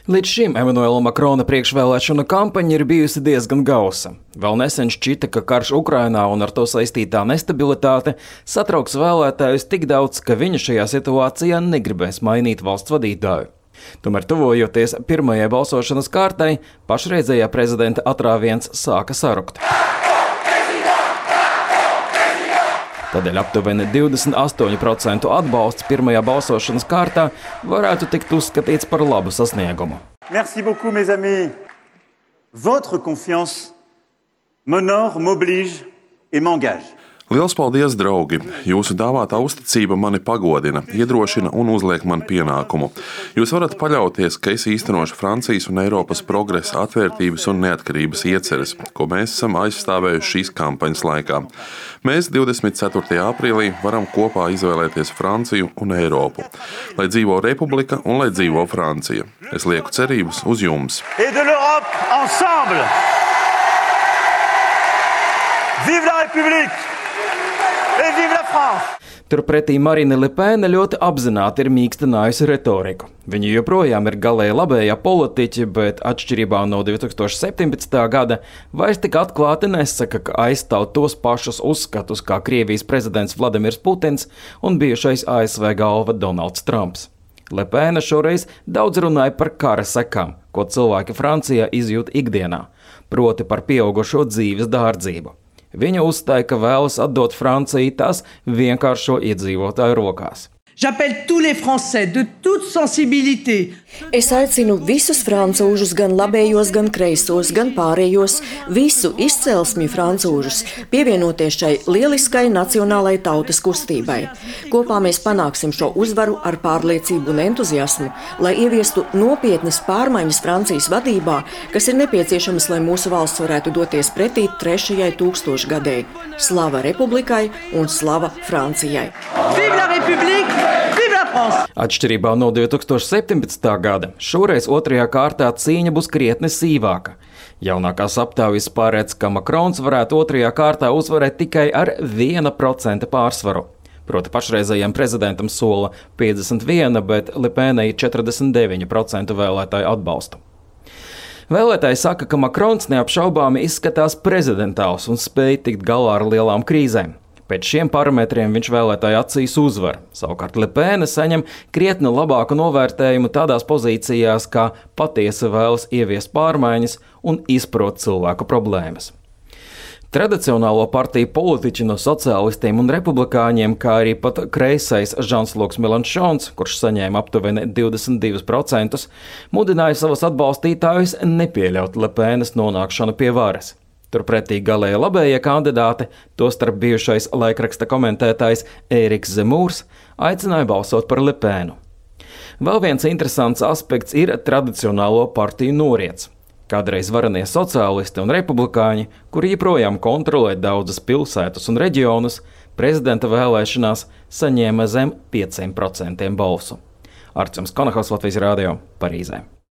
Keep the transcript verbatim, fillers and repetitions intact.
Līdz šim Emanuela Makrona priekšvēlēšanu kampaņa ir bijusi diezgan gausa. Vēl nesen šķita, ka karš Ukrainā un ar to saistītā nestabilitāte satrauks vēlētājus tik daudz, ka viņa šajā situācijā negribēs mainīt valsts vadītāju. Tomēr tuvojoties pirmajai balsošanas kārtai, pašreizējā prezidenta atrāviens sāka sarukt. Tādēļ aptuveni divdesmit astoņi procenti atbalsts pirmajā balsošanas kārtā varētu tikt uzskatīts par labu sasniegumu. Merci beaucoup, mes amis. Votre confiance m'honore, m'oblige et m'engage. Liels paldies, draugi! Jūsu dāvātā uzticība mani pagodina, iedrošina un uzliek man pienākumu. Jūs varat paļauties, ka es īstenošu Francijas un Eiropas progresa, atvērtības un neatkarības ieceres, ko mēs esam aizstāvējuši šīs kampaņas laikā. Mēs divdesmit ceturtajā aprīlī varam kopā izvēlēties Franciju un Eiropu. Lai dzīvo Republika un lai dzīvo Francija. Es lieku cerības uz jums. Et de l'Europe ensemble! Vive la République! Et vive la France! Turpretī Marine Le Pen ļoti apzināti ir mīkstinājusi retoriku. Viņa joprojām ir galēji labējā politiķe, bet atšķirībā no divi tūkstoši septiņpadsmitā gada vairs tik atklāti nesaka, ka aizstāv tos pašus uzskatus kā Krievijas prezidents Vladimirs Putins un bijušais A S V galva Donalds Trumps. Le Pen šoreiz daudz runāja par kara sekām, ko cilvēki Francijā izjūt ikdienā, proti par pieaugušo dzīves dārdzību. Viņa uzstāja, ka vēlas atdot Franciju tās vienkāršo iedzīvotāju rokās. J'appelle tous les Français de toute sensibilité. Es aicinu visus francūžus, gan labējos, gan kreisos, gan pārējos, visu izcelsmju francūžus, pievienoties šai lieliskai nacionālai tautas kustībai. Kopā mēs panāksim šo uzvaru ar pārliecību un entuziasmu, lai ieviestu nopietnas pārmaiņas Francijas vadībā, kas ir nepieciešamas, lai mūsu valsts varētu doties pretī trešajai tūkstošgadēji. Slava Republikai un slava Francijai! Vive la République! Atšķirībā no divi tūkstoši septiņpadsmitā gada, šoreiz otrajā kārtā cīņa būs krietni sīvāka. Jaunākās aptaujas pārēdz, ka Makrons varētu otrajā kārtā uzvarēt tikai ar viena procenta pārsvaru. Proti pašreizējiem prezidentam sola piecdesmit viens, bet Le Penai četrdesmit deviņi procenti vēlētāju atbalstu. Vēlētāji saka, ka Makrons neapšaubāmi izskatās prezidentāls un spēj tikt galā ar lielām krīzēm. Pēc šiem parametriem viņš vēlētāju acīs uzvar. Savukārt Le Pen saņem krietni labāku novērtējumu tādās pozīcijās, kā patiesi vēlas ieviest pārmaiņas un izprot cilvēku problēmas. Tradicionālo partiju politiķi no sociālistiem un republikāņiem, kā arī pat kreisais Žans-Luks Melanšons, kurš saņēma aptuveni divdesmit divus procentus, mudināja savus atbalstītājus nepieļaut Le Penas nonākšanu pie varas. Turpretī galēji labējie kandidāti, tostarp bijušais laikraksta komentētājs Ēriks Zemūrs, aicināja balsot par Le Penu. Vēl viens interesants aspekts ir tradicionālo partiju noriets. Kādreiz varenie sociālisti un republikāņi, kuri joprojām kontrolē daudzas pilsētas un reģionus, prezidenta vēlēšanās saņēma zem pieciem procentiem balsu. Artjoms Konahos, Latvijas radio, Parīzē.